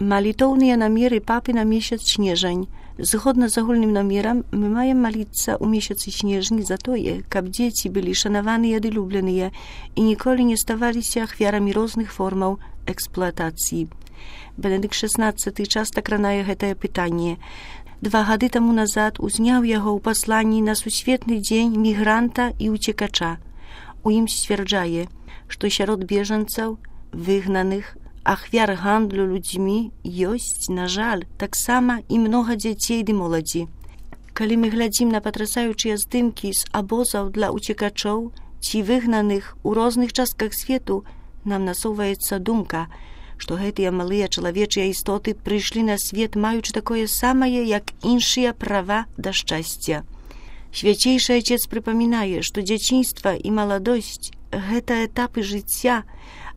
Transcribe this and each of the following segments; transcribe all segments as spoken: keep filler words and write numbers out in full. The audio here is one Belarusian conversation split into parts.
Малітоўныя намеры папы на месяц снежань. Згодна з агульным намерам, мы маем маліцца ў месяцы снежні за тое, каб дзеці былі шанаваныя ды любленыя і ніколі не ставаліся ахвярамі розных формаў эксплуатацыі. Бенедыкт шаснаццаты часта кранае гэтае пытанне. Два гады таму назад узняў яго ў пасланні на сусветны дзень мігранта і уцекача. У ім сцвярджае, што сярод бежанцаў, выгнаных, ахвяр гандлю людзьмі ёсць, на жаль, таксама і многа дзяцей ды моладзі. Калі мы глядзім на патрасаючыя здымкі з абозаў для уцекачоў ці выгнаных у розных частках свету, нам насоўваецца думка, што гэтыя малыя чалавечыя істоты прыйшлі на свет, маючы такое самае, як іншыя права да шчасця. Свяцейшы Айцец прыпамінае, што дзяцінства і маладосць – гэта этапы жыцця,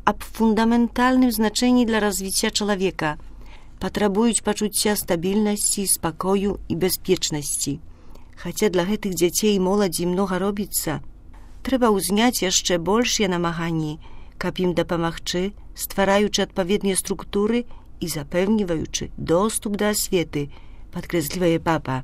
аб фундаментальным значэнні для развіцця чалавека, патрабуюць пачуцця стабільнасці, спакою і бяспечнасці. Хаця для гэтых дзяцей і моладзі многа робіцца, трэба ўзняць яшчэ большыя намаганні, каб ім дапамагчы, ствараючы адпаведныя структуры і запэўніваючы доступ да асветы, падкрэслівае папа.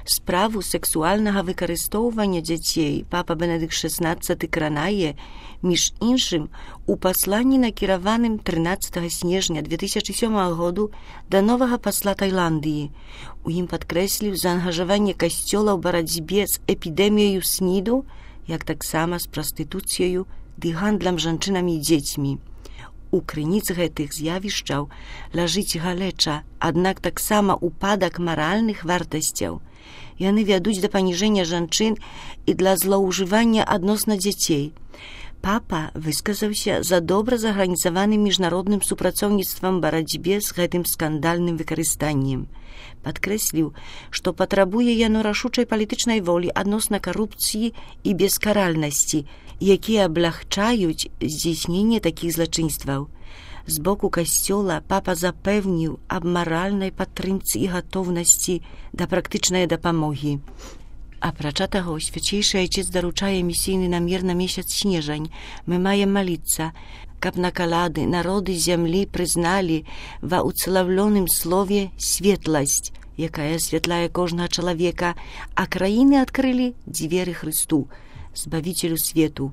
Справу сексуальнага выкарыстоўвання дзяцей папа Бенедыкт шаснаццаты кранае, між іншым, у пасланні накіраваным трынаццатага снежня две тысячы сёмага году да новага пасла Тайландыі. У ім падкрэсліў заангажаванне касцёла ў барацьбе з эпідэміяю сніду, як таксама з прастытуцыяю ды гандлем жанчынамі і дзецьмі. У крыніцы гэтых з'явішчаў ляжыць галеча, аднак таксама упадак маральных вартасцяў. Яны вядуць да паніжэння жанчын і для злоўжывання адносна дзяцей. Папа высказаўся за добра зарганізаваным міжнародным супрацоўніцтвам барацьбе з гэтым скандальным выкарыстаннем. Падкрэсліў, што патрабуе яно рашучай палітычнай волі адносна карупцыі і бескаральнасці, якія аблягчаюць здзейсненне такіх злачынстваў. З боку касцёла папа запэўніў аб маральнай падтрымцы і гатоўнасці да практычнай дапамогі. Апрача таго, Свяцейшы Айцец даручае місійны намер на месяц снежань. Мы маем маліцца, каб на калады народы зямлі прызналі ва ўцалаўлёным слове светласць, якая асвятляе кожнага чалавека, а краіны адкрылі дзверы Хрысту, Збавіцелю свету.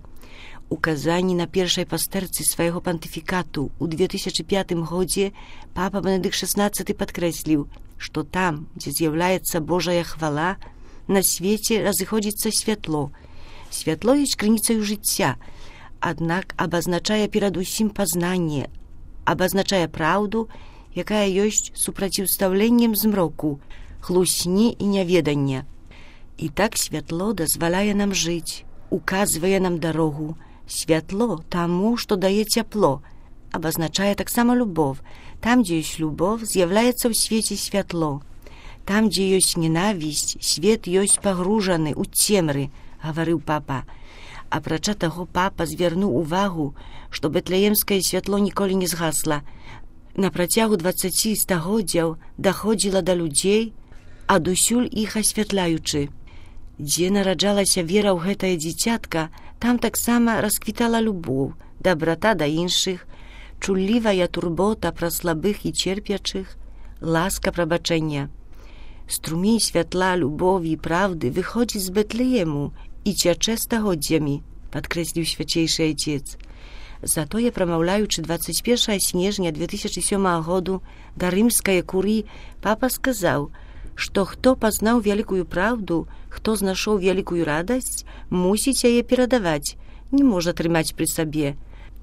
У казанні на першай пастэрцы свайго пантыфікату ў две тысячы пятым годзе папа Бенедыкт шаснаццаты падкрэсліў, што там, дзе з'яўляецца Божая хвала, на свеце разыходзіцца святло. Святло ёсць крыніцаю жыцця, аднак абазначае перадусім пазнанне, абазначае праўду, якая ёсць супраціўстаўленнем змроку, хлусні і няведання. І так святло дазваляе нам жыць, указвае нам дарогу. Святло таму, што дае цяпло, абазначае таксама любоў. Там, дзе ёсць любоў, з'яўляецца ў свеце святло. Там, дзе ёсць ненавісць, свет ёсць пагружаны ў цемры, гаварыў папа. Апрача таго, папа звярнуў увагу, што бэтлеемскае святло ніколі не згасла. На працягу дваццаці стагоддзяў даходзіла да людзей, адусюль іх асвятляючы. Дзе нараджалася вера ў гэтае дзіцятка, там таксама расквітала любоў, дабрата да іншых, чуллівая турбота пра слабых і церпячых, ласка прабачэння. Струмень святла, любові і правды выходзіць з Бэтлеему і цячэ стагоддзямі, падкрэсліў Свяцейшы Айцец. Затое, прамаўляючы дваццаць першага снежня две тысячы сёмага году да рымскай курыі, папа сказаў, што хто пазнаў вялікую праўду, хто знайшоў вялікую радасць, мусіць яе перадаваць, не можа трымаць пры сабе.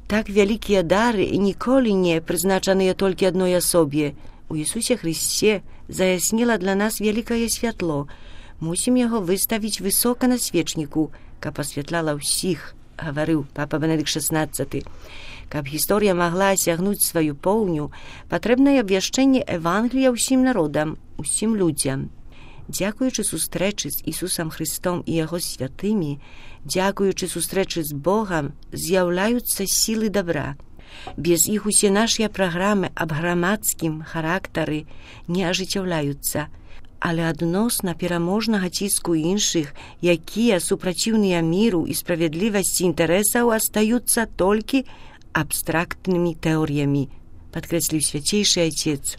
Так вялікія дары і ніколі не прызначаныя толькі адной асобе. У Ісусе Хрысце заяснела для нас вялікае святло. Мусім яго выставіць высока на свечніку, каб асвятляла ўсіх, гаварыў папа Бенедыкт шаснаццаты. Каб гісторыя магла асягнуць сваю поўню, патрэбнае абвяшчэнне Евангелія ўсім народам, усім людзям. Дзякуючы сустрэчы з Ісусам Хрыстом і Яго святымі, дзякуючы сустрэчы з Богам, з'яўляюцца сілы добра. Без іх усе нашыя праграмы аб грамадскім характары не ажыццяўляюцца, але адносна пераможнага ціску іншых, якія супраціўныя міру і справядлівасці інтарэсаў астаюцца толькі абстрактнымі тэорыямі, podkreślił Święciejszy Ojciec.